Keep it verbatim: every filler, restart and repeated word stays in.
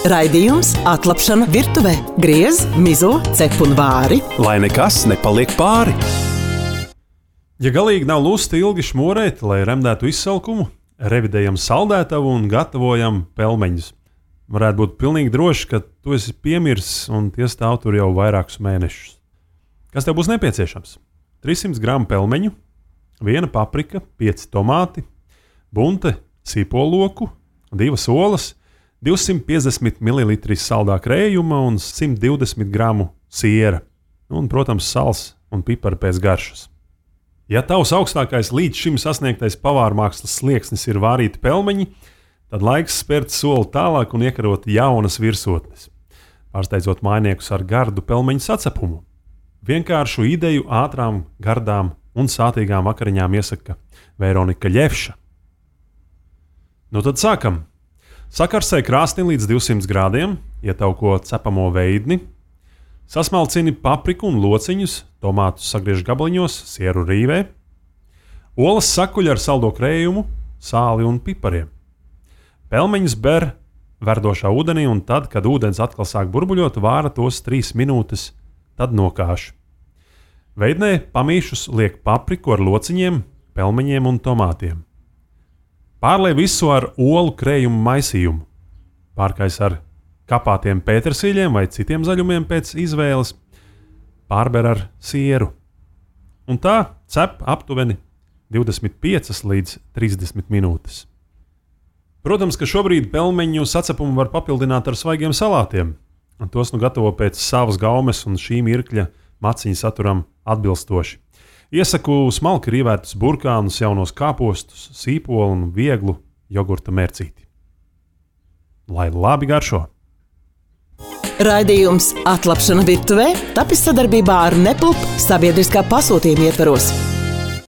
Raidījums Atlapšana virtuvē. Griez, mizo, cep un vāri. Lai nekas nepaliek pāri. Ja galīgi nav lusta ilgi šmorēt, lai remdētu izsalkumu, revidējam saldētavu un gatavojam pelmeņus. Varētu būt pilnīgi droši, ka tu esi piemirsis un tie stāv tur jau vairākus mēnešus. Kas tev būs nepieciešams? trīs simti gramu pelmeņu, viena paprika, pieci tomāti, bunte sīpoloku, divas olas, divsimt piecdesmit mililitri saldā krējuma un simt divdesmit gramu siera. Un, protams, sals un pipari pēc garšas. Ja tavs augstākais līdz šim sasniegtais pavārmākslas slieksnis ir vārīti pelmeņi, tad laiks spērt soli tālāk un iekarot jaunas virsotnes, pārsteidzot mājniekus ar gardu pelmeņu sacepumu. Vienkāršu ideju ātrām, gardām un sātīgām vakariņām iesaka Veronika Ļevša. Nu tad sākam! Sakarsē krāsni līdz divsimt grādiem, ietauko cepamo veidni, sasmalcini papriku un lociņus, tomātus sagriež gabaliņos, sieru rīvē, olas sakuļ ar saldo krējumu, sāli un pipariem. Pelmeņus ber verdošā ūdenī un tad, kad ūdens atkal sāk burbuļot, vāra tos trīs minūtes, tad nokāš. Veidnē pamīšus liek papriku ar lociņiem, pelmeņiem un tomātiem. Pārlej visu ar olu krējumu maisījumu. Pārkais ar kapātiem pētersīļiem vai citiem zaļumiem pēc izvēles. Pārber ar sieru. Un tā cep aptuveni divdesmit piecas līdz trīsdesmit minūtes. Protams, ka šobrīd pelmeņu sacepumu var papildināt ar svaigiem salātiem. Un tos nu gatavo pēc savas gaumes un šī mirkļa maciņu saturam atbilstoši. Iesaku smalki rīvētus burkānus, jaunos kāpostus, sīpolu un vieglu jogurta mērcīti. Lai labi garšo! Raidījums Atlapšana virtuvē tapis sadarbībā ar Nepulp sabiedriskā pasūtījuma ietvaros.